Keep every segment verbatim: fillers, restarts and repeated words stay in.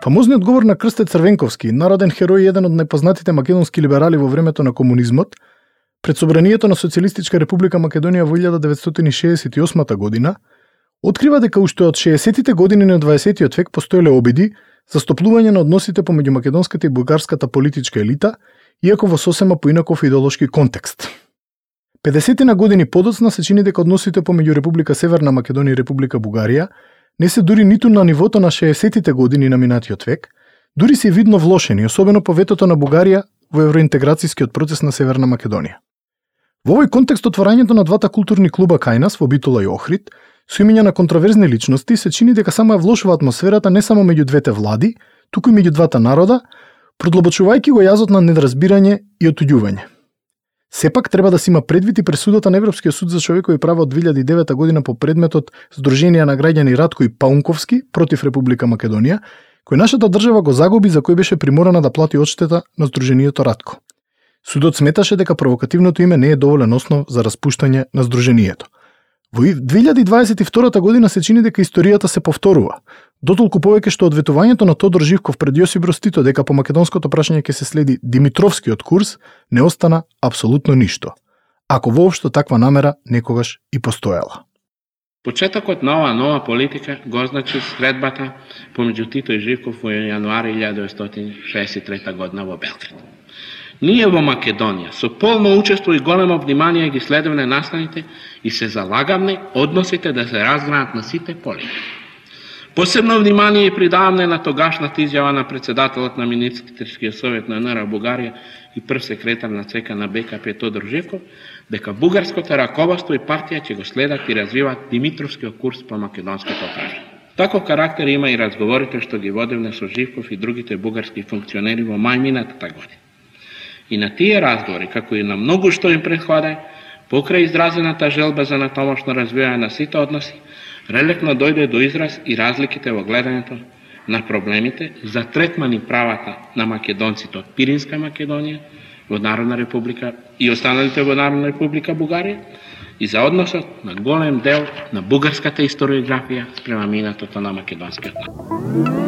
Фамозниот говор на Крсте Црвенковски, народен херој и еден од најпознатите македонски либерали во времето на комунизмот, пред собранието на Социјалистичка република Македонија во илјада деветстотини шеесет и осма година, открива дека уште од шеесеттите години на дваесеттиот век постоеле обиди за стоплување на односите помеѓу македонската и бугарската политичка елита, иако во сосема поинаков идеолошки контекст. педесет на години подоцна се чини дека односите помеѓу Република Северна Македонија и Република Бугарија не се дури ниту на нивото на шеесеттите години на минатиот век, дури се видно влошени, особено по ветото на Бугарија во евроинтеграцијскиот процес на Северна Македонија. Во овој контекст отворањето на двата културни клуба кај нас во Битола и Охрид, со имиња на контроверзни личности, се чини дека само ја влошува атмосферата не само меѓу двете влади, туку и меѓу двата народа, продлабочувајќи го јазот на недоразбирање и отуѓување. Сепак треба да се има предвид и пресудата на Европскиот суд за човекови права од две илјади и девета година по предметот Сдруженија на граѓани Ратко и Паунковски против Република Македонија, кој нашата држава го загуби, за кој беше приморана да плати одштета на Сдруженијето Ратко. Судот сметаше дека провокативното име не е доволен основ за распуштање на Сдруженијето. Во две илјади дваесет и втора година се чини дека историјата се повторува, дотолку повеќе што одветувањето на Тодор Живков пред Јосип Брз Тито дека по македонското прашање ќе се следи Димитровскиот курс, не остана апсолутно ништо, ако воопшто таква намера некогаш и постоела. Почетокот на оваа нова политика го означи средбата помеѓу Тито и Живков во јануари илјада деветстотини шеесет и трета година во Белград. Ние во Македонија со полно учество и големо внимание ги следевме настаните и се залагавме односите да се разгранат на сите поливи. Посебно внимание придаваме на тогашната изјава на председателот на Министерскиот совет на НР Бугарија и прв секретар на ЦК на БКП Тодор Живков, дека бугарското раководство и партија ќе го следат и развиваат Димитровскиот курс по македонското прашање. Таков карактер има и разговорите што ги водевме со Живков и другите бугарски функционери во мај минатата година. И на тие разговори, како и на многу што им претходе, покрај изразената желба за натамошно развивање на сите односи, релектно дојде до израз и разликите во гледањето на проблемите за третман и правата на македонците од Пиринска Македонија во Народна република и останалите во Народна република Бугарија и за односот на голем дел на бугарската историографија спрема минатото на македонскиот народ.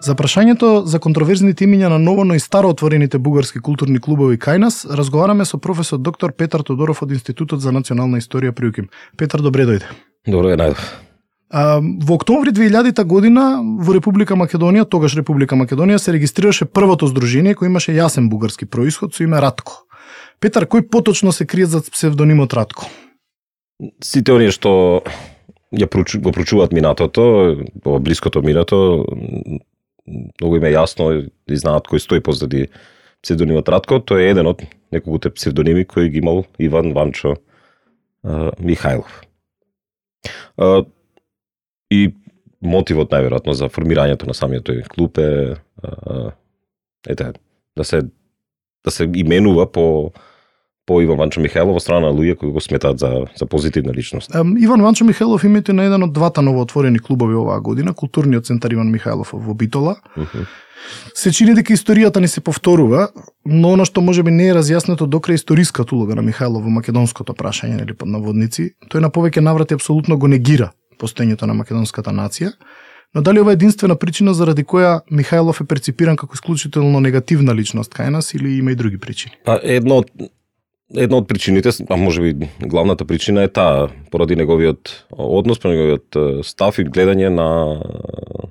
За прашањето за контроверзните имиња на ново, но и старо отворените бугарски културни клубови кај нас, разговараме со професор доктор Петар Тодоров од Институтот за национална историја при УКИМ. Петар, добре дојде. Добро е, најдов. А, во октомври две илјадета година во Република Македонија, тогаш Република Македонија, се регистрираше првото здружение кој имаше јасен бугарски происход со име Ратко. Петар, кој поточно се крие за псевдонимот Ратко? Сите оние што ја прочу, го прочуваат минатото, во блиското минато, многу им е јасно и знаат кој стои позади псевдонимот Ратко. Тој е еден од неколкуте псевдоними кои ги имал Иван Ванчо а, Михајлов. А, и мотивот најверојатно за формирањето на самиот тој клуб е а, ете, да се да се именува по по Иван Ванчо Михајлов во страна на луѓе кои го сметаат за за позитивна личност. Um, Иван Ванчо Михајлов името на еден од двата новоотворени клубови оваа година, културниот центар Иван Михајлов во Битола. Uh-huh. Се чини дека историјата ни се повторува, но она што можеби не е разјаснето докрај историската улога на Михајлов во македонското прашање, нели под наводници, тој на повеќе наврати апсолутно го негира постоењето на македонската нација. Но дали ова е единствена причина заради која Михајлов е перципиран како исклучително негативна личност кај нас или има и други причини? А едно Една од причините, а можеби главната причина е таа, поради неговиот однос, поради неговиот став и гледање на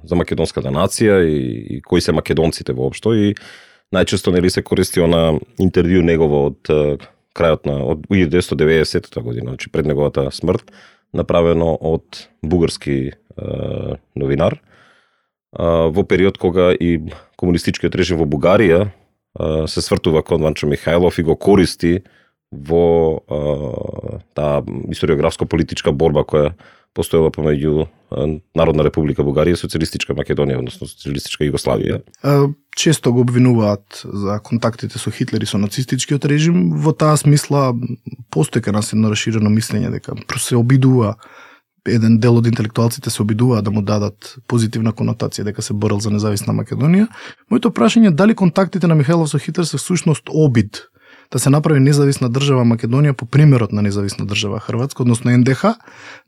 за македонската нација и, и кои се македонците воопшто, и најчесто нели се користи на интервју негово од крајот на од илјада деветстотини и деветдесета година, значи пред неговата смрт, направено од бугарски е, новинар е, во период кога и комунистичкиот режим во Бугарија е, се свртува кон Ванчо Михајлов и го користи во а, таа историографско-политичка борба која постоела помеѓу Народна република Бугарија и Социјалистичка Македонија, односно Социјалистичка Југославија. Често го обвинуваат за контактите со Хитлер и со нацистичкиот режим. Во таа смисла постои кај нас едно расширено мислење дека се обидува еден дел од интелектуалците се обидуваат да му дадат позитивна конотација дека се борел за независна Македонија. Моето прашање е дали контактите на Михајлов со Хитлер се всушност обид да се направи независна држава Македонија по примерот на независна држава Хрватска, односно Ен Де Ха,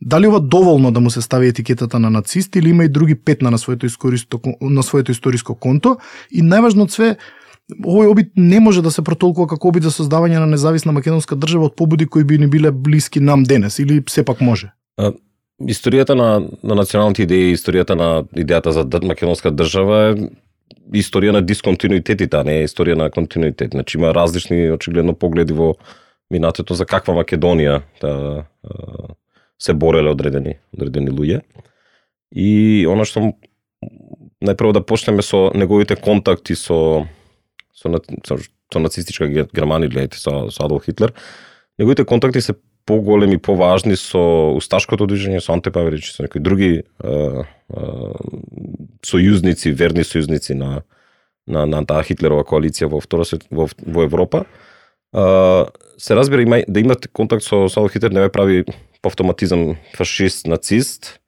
дали ова доволно да му се стави етикетата на нацист или има и други петна на своето искористо, на своето историско конто, и најважно од све, овој обид не може да се протолкува како обид за создавање на независна македонска држава од побуди кои би ни биле блиски нам денес, или сепак може? А, историјата на, на националните идеи, историјата на идејата за македонска држава е историја на дисконтинуитетите, а не е историја на континуитет. Значи има различни очигледно погледи во минатото за каква Македонија да се бореле одредени одредени луѓе. И она што најпрво да почнеме со неговите контакти со со, со, со нацистичка Германија, гледате, со, со Адолф Хитлер. Неговите контакти се поголеми, поважни со усташкото движење, со Анте Павелич, со некои други а, а, сојузници, верни сојузници на на на таа Хитлерова коалиција во втора свет во, во Европа. А, се разбира има да имате контакт со Адолф Хитлер не ве прави по автоматизам фашист, нацист.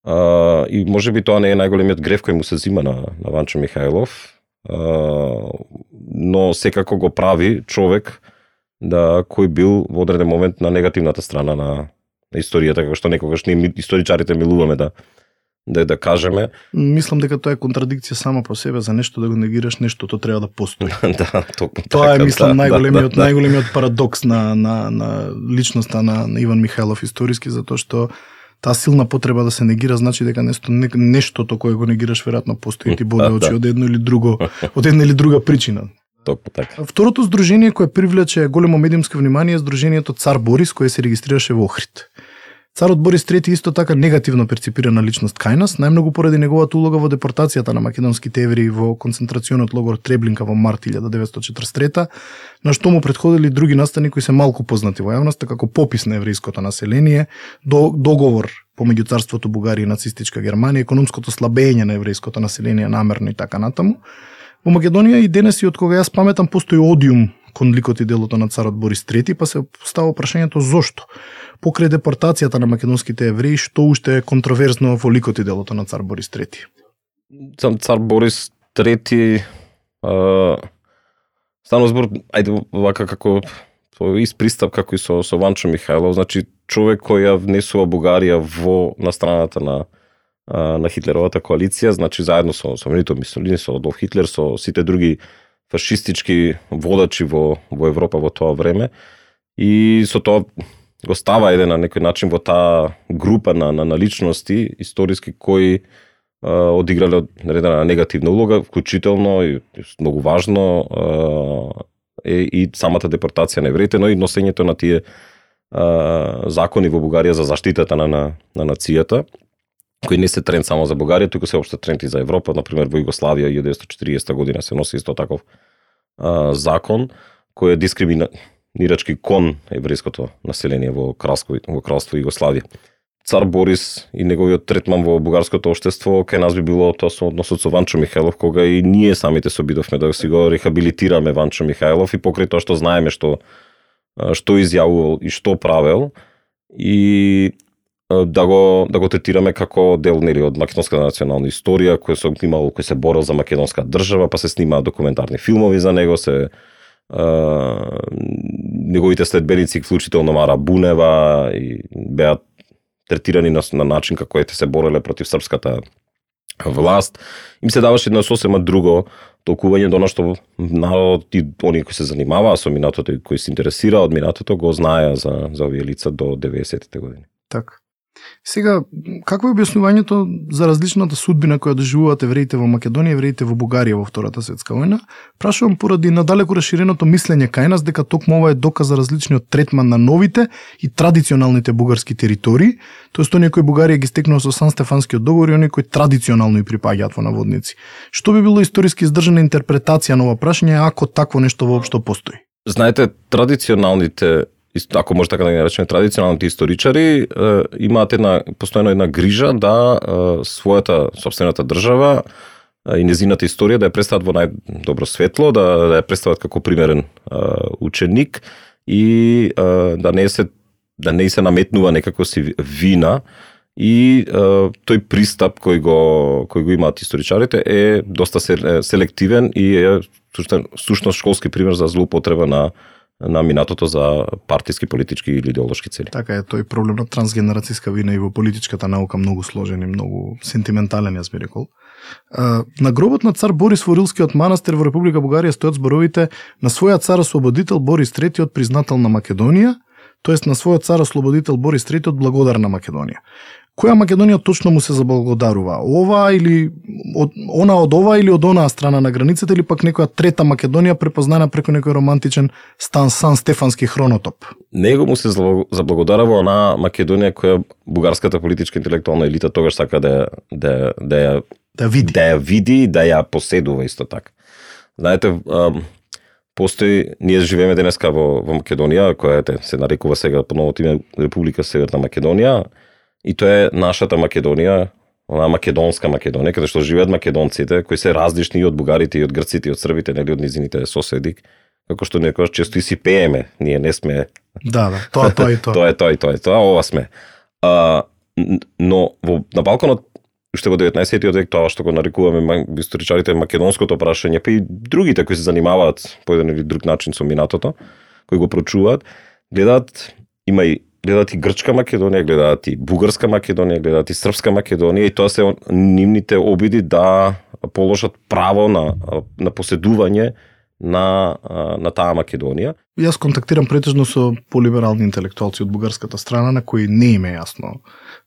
А, и можеби тоа не е најголемиот грев кој му се зима на на Ванчо Михајлов. Uh, но секако го прави човек да кој бил во одреден момент на негативната страна на, на историјата, како што некогаш ние историчарите милуваме да да да кажеме. Мислам дека тоа е контрадикција сама по себе, за нешто да го негираш, нештото треба да постои. Да, токму тоа така, е мислам да, најголемиот да, да. најголемиот парадокс на на на личноста на, на Иван Михајлов историски, затоа што таа силна потреба да се негира значи дека нешто не, нештото кое го негираш веројатно постои ти боде очи од едно или друго, од една или друга причина. Токму така. Второто здружение кое привлече големо медиумско внимание е здружението Цар Борис, кое се регистрираше во Охрид. Царот Борис трети исто така негативно перципирана личност кај нас, најмногу поради неговата улога во депортацијата на македонските евреи во концентрационот логор Треблинка во март илјада деветстотини четридесет и трета, на што му претходили други настани кои се малку познати во јавноста, како попис на еврејското население, до, договор помеѓу царството Бугарија и нацистичка Германија, економското слабење на еврејското население намерно и така натаму. Во Македонија и денес и од кога јас паметам постои одиум кон ликот и делото на царот Борис трети, па се става прашањето зошто. Покрај депортацијата на македонските евреи, што уште е контроверзно во ликот и делото на цар Борис трети? Цар Борис трети а, станува збор, ајде вака како из пристап како и со, со Ванчо Михајлов, значи човек кој ја внесува Бугарија во на страната на на Хитлеровата коалиција, значи заедно со со Бенито Мусолини, со Адолф Хитлер, со сите други фашистички водачи во во Европа во тоа време, и со тоа го става еден на некој начин во таа група на на, на личности историски кои а, одиграле одредена негативна улога, вклучително и многу важно а, е и самата депортација на евреите, но и носењето на тие а, закони во Бугарија за заштитата на на, на нацијата, кои не се тренд само за Бугарија, туку се опште тренд и за Европа. Например, во Југославија илјада деветстотини и четиридесета година се носи исто таков а, закон кој е дискриминирачки кон еврејското население во кралство во кралство Југославија. Цар Борис и неговиот третман во бугарското општество кај нас би било тоа со односот со Ванчо Михајлов, кога и ние самите се обидовме да си го рехабилитираме Ванчо Михајлов, и покрај тоа што знаеме што што изјавувал и што правел, и да го да го третираме како дел нели од македонската национална историја, кој се имал, кој се борел за македонска држава, па се снимаат документарни филмови за него, се а, неговите следбеници, вклучително Мара Бунева, и беа третирани на, на начин како ете се бореле против српската власт. Им се даваше едно сосема друго толкување до што народот и оние кои се занимаваа со минатото и кои се интересира од минатото го знаеа за за овие лица до деветдесетите години. Така. Сега, какво е објаснувањето за различната судбина која доживуваат евреите во Македонија и евреите во Бугарија во Втората светска војна? Прашувам поради надалеку расширеното мислење кај нас дека токму ова е доказ за различниот третман на новите и традиционалните бугарски територии, тоест оние кои Бугарија ги стекнува со Сан Стефанскиот договор и оние кои традиционално и припаѓаат во наводници. Што би било историски издржана интерпретација на ова прашање ако такво нешто воопшто постои? Знаете, традиционалните, ако може така да ги наречеме, традиционалните историчари е, имаат една постојано една грижа да е, својата сопствената држава е, и незината историја да ја представат во најдобро светло, да, да ја представат како примерен е, ученик и е, да не се да не се наметнува некако си вина И е, тој пристап кој го кој го имаат историчарите е доста селективен и е сушно школски пример за злоупотреба на на минатото за партиски, политички или идеолошки цели. Така е, тој проблем на трансгенерацијска вина и во политичката наука многу сложен и многу сентиментален, јас би рекол. На гробот на цар Борис во Рилскиот манастир во Република Бугарија стојат зборовите на својот цар ослободител Борис третиот признател на Македонија, тоест на својот цар ослободител Борис третиот благодар на Македонија. Која Македонија точно му се заблагодарува? Ова или од, она од ова или од онаа страна на границата или пак некоја трета Македонија препознана преку некој романтичен Стан Сан Стефански хронотоп? Него му се заблагодарува она Македонија која бугарската политичка интелектуална елита тогаш сака да да да да види, да ја види, да ја поседува исто така. Знаете, постои, ние живееме денеска во, во Македонија, која е, се нарекува сега по новото име Република Северна Македонија, и тоа е нашата Македонија, она македонска Македонија, каде што живеат македонците, кои се различни и од бугарите, и од грците, и од србите, нели од низините соседи, како што некојаш често и си пееме, ние не сме. Да, да, тоа, тоа и тоа. Тоа е тоа и тоа, тоа, ова сме. А, но во на Балканот уште во деветнаесеттиот век, тоа што го нарекуваме историчарите македонското прашање, па и другите кои се занимаваат по еден или друг начин со минатото, кои го прочуваат, гледаат, има и гледаат и грчка Македонија, гледаат и бугарска Македонија, гледаат и српска Македонија, и тоа се нивните обиди да положат право на на поседување на на таа Македонија. Јас контактирам претежно со полиберални интелектуалци од бугарската страна на кои не им е јасно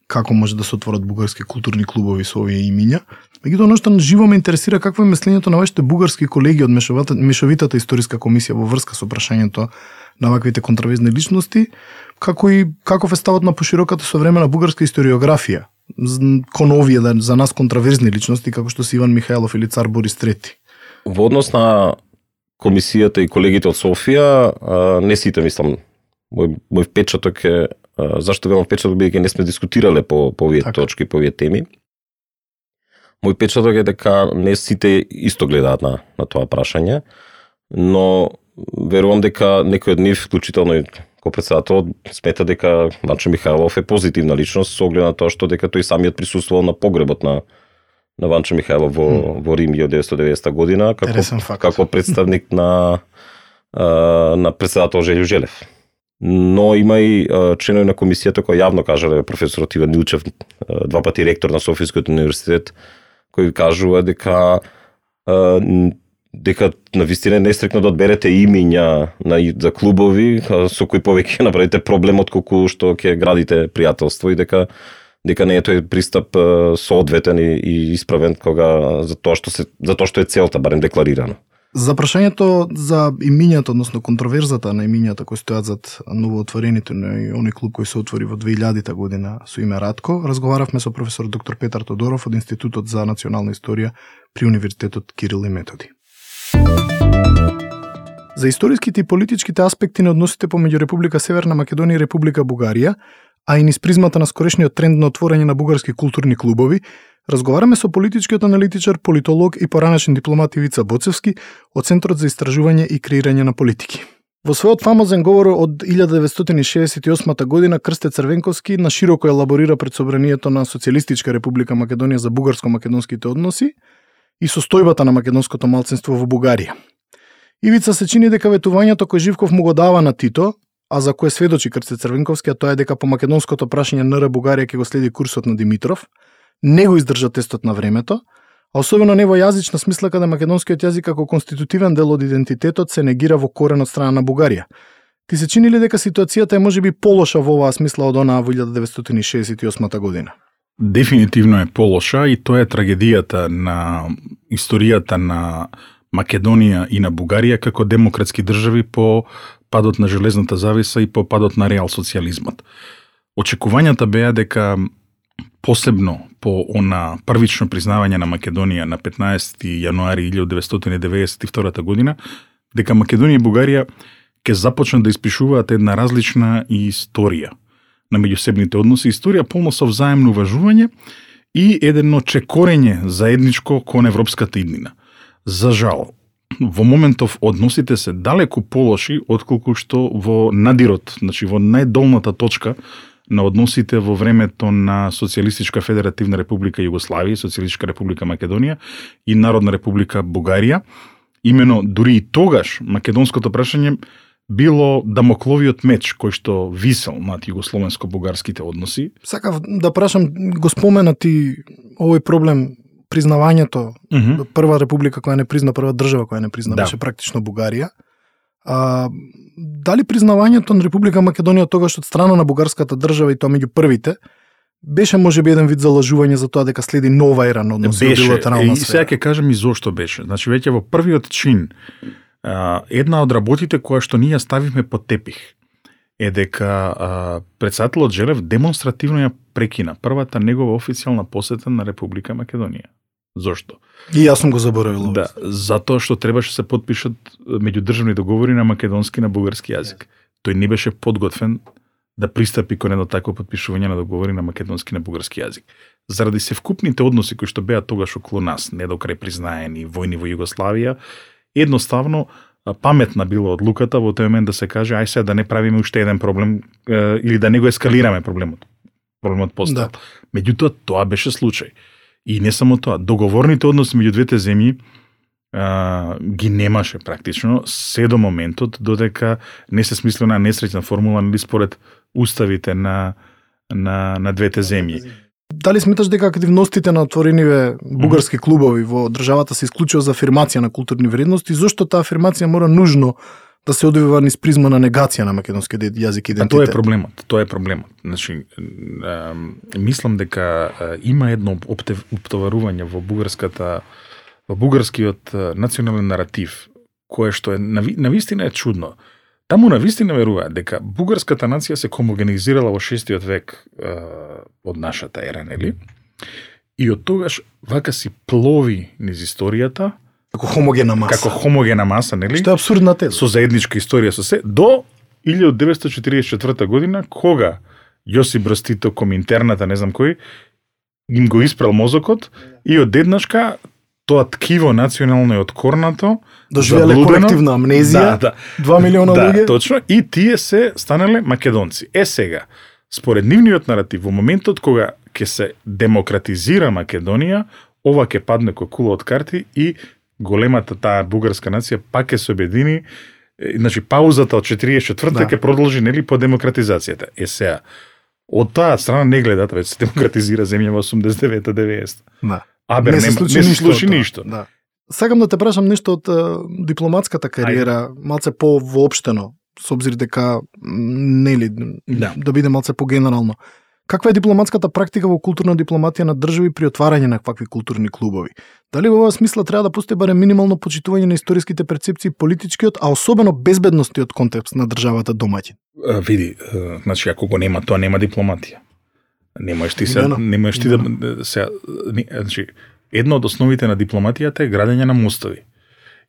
како може да се отворат бугарски културни клубови со овие имиња. Меѓутоа, оно што живо ме интересира какво е мислењето на вашите бугарски колеги од мешовитата историска комисија во врска со прашањето на ваквите контраверзни личности, како и каков е ставот на пошироката современа бугарска историографија кон овие за нас контраверзни личности како што се Иван Михајлов или цар Борис трети. Во однос на комисијата и колегите од Софија, не сите мислам, мој, мој впечаток е, зашто велам впечаток, бидејќи не сме дискутирале по, по овие така. точки, по овие теми. Мој впечаток е дека не сите исто гледаат на, на тоа прашање, но верувам дека некој од нив, вклучително и ко председател, смета дека Ванчо Михајлов е позитивна личност со оглед на тоа што дека тој самиот присуствувал на погребот на на Ванчо Михајлов во, mm. во Рим од деветстотини и деветдесета година како, како представник на на председател Желјо Желев. Но има и членови на комисијата кои јавно кажале, професорот Иван Милчев, два пати ректор на Софијскиот универзитет, кој кажува дека дека навистина не е стрикно да одберете имиња на за клубови со кои повеќе направите проблем отколку што ќе градите пријателство, и дека дека не е тој пристап соодветен и, и исправен кога за тоа што се за тоа што е целта барем декларирано. За прашањето за имињата, односно контроверзата на имињата кои стојат зад новоотворените на оној клуб кој се отвори во две илјадета година со име Радко, разговаравме со професор доктор Петар Тодоров од Институтот за национална историја при Универзитетот Кирил и Методи. За историските и политичките аспекти на односите помеѓу Република Северна Македонија и Република Бугарија, а и низ призмата на скорешниот тренд на отворање на бугарски културни клубови, разговараме со политичкиот аналитичар, политолог и поранешен дипломат Ивица Боцевски од Центарот за истражување и креирање на политики. Во својот фамозен говор од илјада деветстотини шеесет и осма година Крсте Црвенковски на широко елаборира пред собранието на Социјалистичка Република Македонија за бугарско-македонските односи и состојбата на македонското малцинство во Бугарија. Ивица се чини дека ветувањето кој Живков му го дава на Тито, а за кое сведочи Крсте Црвенковски, а тоа е дека по македонското прашање НР Бугарија ќе го следи курсот на Димитров, не го издржа тестот на времето, а особено не во јазична смисла каде македонскиот јазик како конститутивен дел од идентитетот се негира во корен од страна на Бугарија. Ти се чини ли дека ситуацијата е можеби полоша во оваа смисла од онаа во илјада деветстотини шеесет и осма година? Дефинитивно е полоша и тоа е трагедијата на историјата на Македонија и на Бугарија како демократски држави по падот на железната завеса и по падот на реал социјализмот. Очекувањата беа дека посебно по она првично признавање на Македонија на петнаесети јануари илјада деветстотини деветдесет и втора година, дека Македонија и Бугарија ќе започнат да испишуваат една различна историја на меѓусебните односи, историја полна со взаемно уважување и едно чекорење заедничко кон европската иднина. За жал, во моментов односите се далеку полоши отколку што во надирот, значи во најдолната точка на односите во времето на Социјалистичка федеративна република Југославија, Социјалистичка република Македонија и Народна република Бугарија. Имено дури и тогаш македонското прашање било дамокловиот меч кој што висел над југословенско-бугарските односи. Сакав да прашам, го спомена ти овој проблем, признавањето, mm -hmm. прва република која не призна, прва држава која не призна, да. беше практично Бугарија. А, дали признавањето на Република Македонија тогаш од страна на бугарската држава и тоа меѓу првите, беше можеби еден вид залажување за тоа дека следи нова ера на односи во билатерална сфера? И сега ќе кажам и зошто беше. Значи, веќе во првиот чин, една од работите која што ние ставивме под тепих е дека претседателот Желев демонстративно ја прекина првата негова официјална посета на Република Македонија. Зошто? И јас сум го заборавил. Да, затоа што требаше се подпишат меѓудржавни договори на македонски и на бугарски јазик. Тој не беше подготвен да пристапи кон едно такво подпишување на договори на македонски и на бугарски јазик. Заради севкупните односи кои што беа тогаш околу нас, не до крај признаени, војни во Југославија, едноставно паметна било одлуката во тој момент да се каже ај сега да не правиме уште еден проблем е, или да не го ескалираме проблемот. Проблемот постал. Да. Меѓутоа тоа беше случај. И не само тоа, договорните односи меѓу двете земји а, ги немаше практично се до моментот додека не се смисли на несреќна формула или според уставите на на на двете земји. Дали сметаш дека активностите на отворениве бугарски клубови во државата се исклучува за афирмација на културни вредности, зошто таа афирмација мора нужно да се одвива низ призма на негација на македонскиот јазик и идентитет? А тоа е проблемот, тоа е проблемот. Значи, а, мислам дека а, има едно оптоварување во бугарската во бугарскиот национален наратив, кое што е на вистина е чудно. Таму на вистина веруваат дека бугарската нација се хомогенизирала во шестиот век а, од нашата ера, нели? И од тогаш вака си плови низ историјата како хомогена маса. Како хомогена маса, нели? Што е апсурдна теза. Со заедничка историја со се до илјадум деветстотини четиридесет и четврта година кога Јосип Брз Тито, Коминтерната, не знам кој, им го испрал мозокот и одеднашка тоа ткиво национално е откорнато, доживеле колективна амнезија, да, да, два милиона луѓе. Да, точно, и тие се станале македонци. Е сега, според нивниот наратив, во моментот кога ќе се демократизира Македонија, ова ќе падне кој кула од карти и големата таа бугарска нација пак ќе се обедини, значи паузата од четиридесет и четврта ќе да. продолжи нели по демократизацијата. Е сега, од таа страна не гледат, веќе се демократизира земја во осумдесет и девета деветдесета. Да. Абе, не, не се случи, не се случи ништо. Да. Сакам да те прашам нешто од uh, дипломатската кариера, Ајде. малце по-воопштено, со обзир дека нели да. да биде малце по-генерално. Каква е дипломатската практика во културна дипломатија на држави при отварање на какви културни клубови? Дали во оваа смисла треба да постои барем минимално почитување на историските перцепции, политичкиот, а особено безбедностиот контекст на државата домаќин? Види, значи ако го нема тоа, нема дипломатија. Немаш ти се, немаш ти да се, значи едно од основите на дипломатијата е градење на мостови.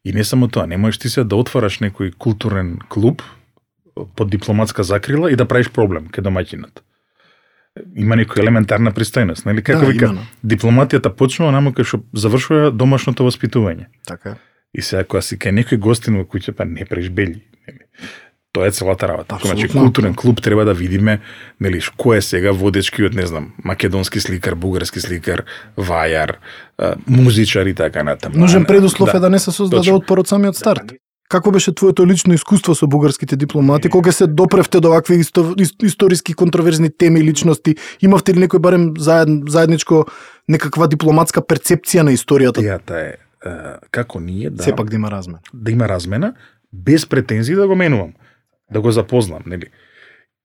И не само тоа, немаш ти се да отвараш некој културен клуб под дипломатска закрила и да правиш проблем кај домаќинот. Има некоја елементарна пристојност, нели? Како да, вика, именно. Дипломатијата почнува намо кај што завршува домашното воспитување. Така. И сега кога си кај некој гостин во куќа, па не правиш бели, нели? Тоа е целата работа. Значи културен клуб треба да видиме, нели, кој е сега водечкиот, не знам, македонски сликар, бугарски сликар, вајар, музичар и така натаму. Нужен предуслов да, е да не се создаде отпор од самиот старт. Да. Како беше твоето лично искуство со бугарските дипломати? Кога се допревте до вакви исто, историски контроверзни теми и личности? Имавте ли некој барем заед, заедничко некаква дипломатска перцепција на историјата? Идејата е како ние да сепак да има размена. Да има размена без претензии да го менувам, да го запознам, нели?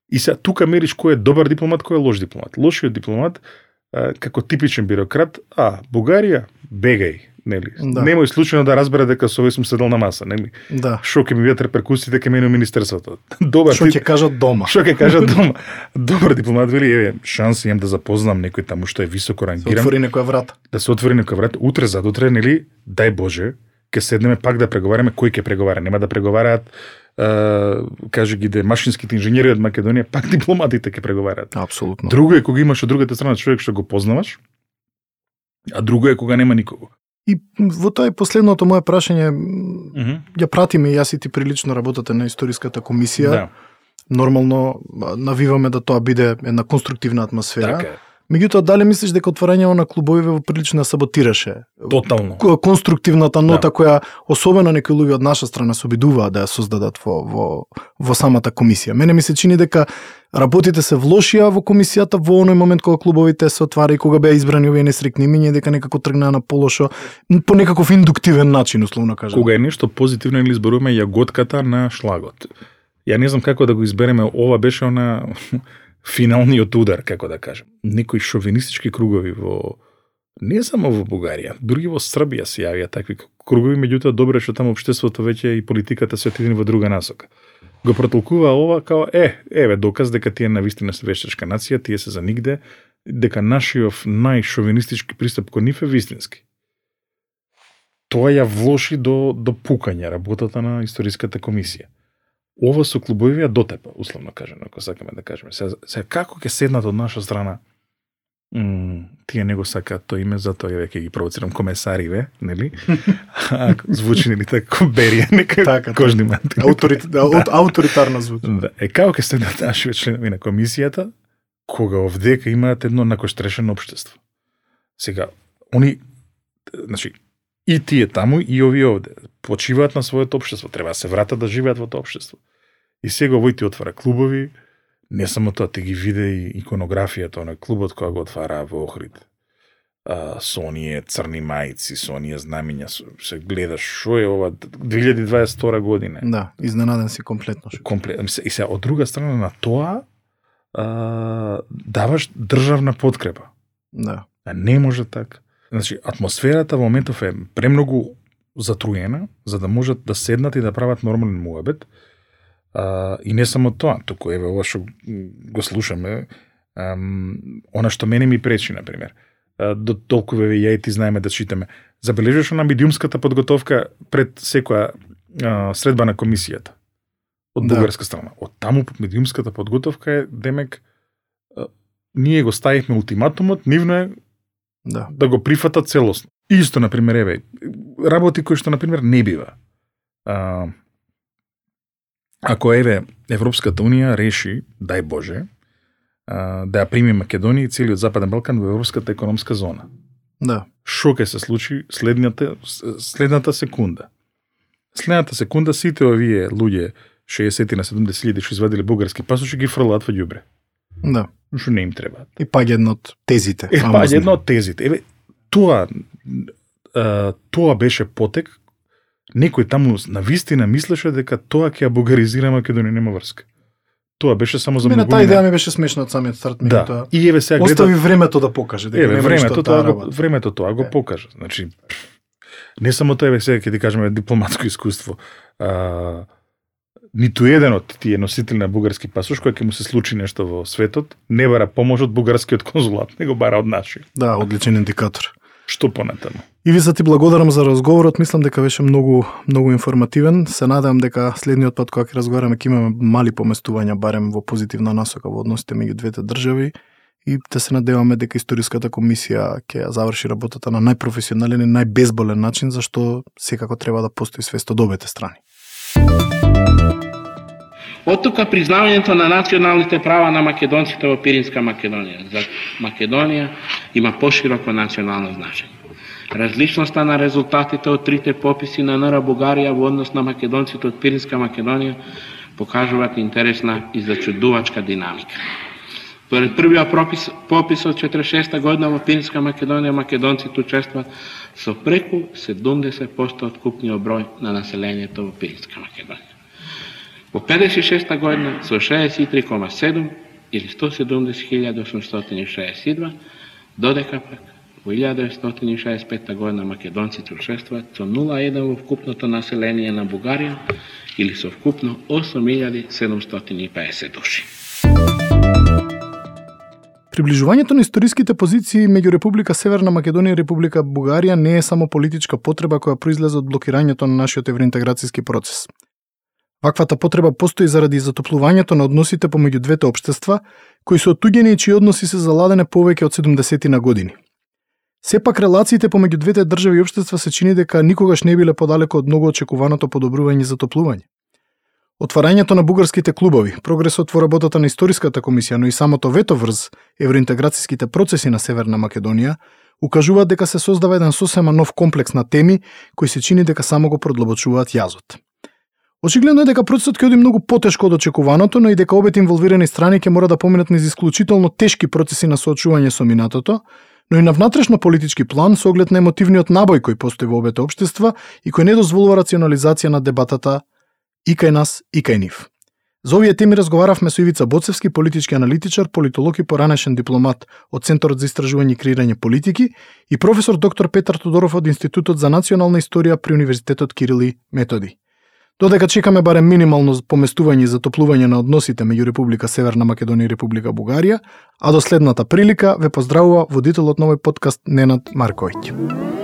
И сега тука мериш кој е добар дипломат, кој е лош дипломат. Лошиот дипломат како типичен бюрократ, а Бугарија бегај. Нели? Да. Немој случајно да разбере дека со овој сум седел на маса, нели? Да. Шо ќе ми бидат реперкусиите кај мене во министерството. Добар. Шо ќе кажат дома. Шо ќе кажат дома. Добар дипломат вели, еве, шанс имам да запознам некој таму што е високо рангиран. Да се отвори некоја врата. Да се отвори некоја врата. Утре задутре, нели, дај Боже, ќе седнеме пак да преговараме, кој ќе преговара. Нема да преговараат Uh, каже ги де машинските инженери од Македонија, пак дипломатите ќе преговараат. Апсолутно. Друго е кога имаш од другата страна човек што го познаваш, а друго е кога нема никого. И во тоа е последното мое прашање, mm-hmm. ја пратиме и јас и ти прилично работате на историската комисија. Да. нормално навиваме да тоа биде една конструктивна атмосфера. Така е. Меѓутоа, дали мислиш дека отворањето на клубовиве во прилично саботираше Тотално. конструктивната нота Да. која особено некои луѓе од наша страна се обидуваат да ја создадат во, во, во самата комисија? Мене ми се чини дека работите се влошија во комисијата во оној момент кога клубовите се отвара и кога беа избрани овие несрекни имиња, дека некако тргнаа на полошо по некаков индуктивен начин, условно кажам. Кога е нешто позитивно или изборуваме јаготката на шлагот. Ја не знам како да го избереме, ова беше она финалниот удар, како да кажем. Некои шовинистички кругови во не само во Бугарија, дури во Србија се јавија такви кругови, меѓутоа добро е што таму општеството веќе и политиката се отидени во друга насока. Го протолкува ова као е, еве доказ дека тие навистина се вештачка нација, тие се за нигде, дека нашиот најшовинистички пристап кон нив е вистински. Тоа ја влоши до до пукање работата на историската комисија. Ова со клубови ја дотепа, условно кажано, ако сакаме да кажеме. Сега, сега како ќе седнат од наша страна, м, тие не го сакаат тоа име, затоа ја ги провоцирам комесариве, нели? А, звучи нели така берија, нека Така, кожни мантили. Ауторит, да, од ауторитарна звучи. Да. Е, како ќе седнат нашите членови на комисијата, кога овдека имаат едно накоштрешено општество? Сега, они, значи, и тие таму, и овие овде, почиваат на своето општество, треба да се вратат да живеат во тоа општество. И сега овој ти отвара клубови, не само тоа, ти ги виде и иконографијата на клубот која го отвара во Охрид. А, со оние црни мајци, со оние знамиња, се гледаш шо е ова две илјади дваесет и втора година. Да, изненаден си комплетно. Комплет, и сега од друга страна на тоа а, даваш државна подкрепа. Да. А не може така. Значи, атмосферата во моментов е премногу затруена, за да можат да седнат и да прават нормален муабет. А, и не само тоа, туку еве ова што го слушаме, ам, она што мене ми пречи, например, а, до толку еве ја и ти знаеме да читаме. Забележуваш на медиумската подготовка пред секоја а, средба на комисијата од Да. бугарска страна. Од таму медиумската подготовка е демек а, ние го ставивме ултиматумот, нивно е Да. да го прифатат целосно. Исто, например, еве, работи кои што, например, не бива. А, ако, еве, Европската Унија реши, дај Боже, а, да ја прими Македонија и целиот Западен Балкан во Европската економска зона. Да. Шо ќе се случи следната, следната секунда? Следната секунда сите овие луѓе, шеесет на седумдесет илјади што извадиле бугарски пасоши, ги фрлаат во ѓубре. Да. Што не им требаат. И паѓа една од тезите. Е, па, фамозни. една од тезите. Еве, тоа, а, тоа беше потек. Некој таму на вистина мислеше дека тоа ќе ја бугаризира Македонија, нема врска. Тоа беше само за Мене таа многумина. идеја ми беше смешна од самиот старт, Да. меѓутоа. И еве сега гледа. Остави времето да покаже дека Еве, нема времето ништо тоа таа го, работа. времето тоа го Е. покажа. Значи, не само тоа, еве сега ќе ти кажеме дипломатско искуство. А, ниту еден од тие носители на бугарски пасош, кој ќе му се случи нешто во светот, не бара помош од бугарскиот конзулат, него бара од нашиот. Да, одличен индикатор. Што понатаму? И ви за ти благодарам за разговорот, мислам дека беше многу многу информативен. Се надевам дека следниот пат кога ќе разговараме ќе имаме мали поместувања барем во позитивна насока во односите меѓу двете држави и да се надеваме дека историската комисија ќе ја заврши работата на најпрофесионален и најбезболен начин, зашто секако треба да постои свест од обете страни. Од тука признавањето на националните права на македонците во Пиринска Македонија. За Македонија има пошироко национално значење. Различноста на резултатите од трите пописи на НР Бугарија во однос на македонците од Пиринска Македонија покажуваат интересна и зачудувачка динамика. Според првиот пропис, попис од четиридесет и шеста година во Пиринска Македонија македонците учествуваат со преку седумдесет проценти од купниот број на населението во Пиринска Македонија. Во педесет и шеста година со шеесет и три зарез седум или сто седумдесет илјади осумстотини и шеесет и два, додека пак во илјада деветстотини и шеесет и пета година македонците учествуваат со нула зарез еден во вкупното население на Бугарија или со вкупно осум илјади седумстотини и педесет души. Приближувањето на историските позиции меѓу Република Северна Македонија и Република Бугарија не е само политичка потреба која произлезе од блокирањето на нашиот евроинтеграцијски процес. Ваквата потреба постои заради затоплувањето на односите помеѓу двете општества, кои се оттуѓени и чии односи се заладене повеќе од седумдесет на години. Сепак релациите помеѓу двете држави и општества се чини дека никогаш не биле подалеку од многу очекуваното подобрување и затоплување. Отварањето на бугарските клубови, прогресот во работата на историската комисија, но и самото вето врз евроинтеграцијските процеси на Северна Македонија, укажуваат дека се создава еден сосема нов комплекс на теми кои се чини дека само го продлабочуваат јазот. Очигледно е дека процесот ќе оди многу потешко од очекуваното, но и дека обете инволвирани страни ќе мора да поминат низ исклучително тешки процеси на соочување со минатото, но и на внатрешно политички план со оглед на емотивниот набој кој постои во обете општества и кој не дозволува рационализација на дебатата и кај нас, и кај нив. За овие теми разговаравме со Ивица Боцевски, политички аналитичар, политолог и поранешен дипломат од Центарот за истражување и креирање политики и професор доктор Петар Тодоров од Институтот за национална историја при Универзитетот Кирил и Методи. Додека чекаме барем минимално поместување и затоплување на односите меѓу Република Северна Македонија и Република Бугарија, а до следната прилика ве поздравува водителот на овој подкаст Ненад Марковиќ.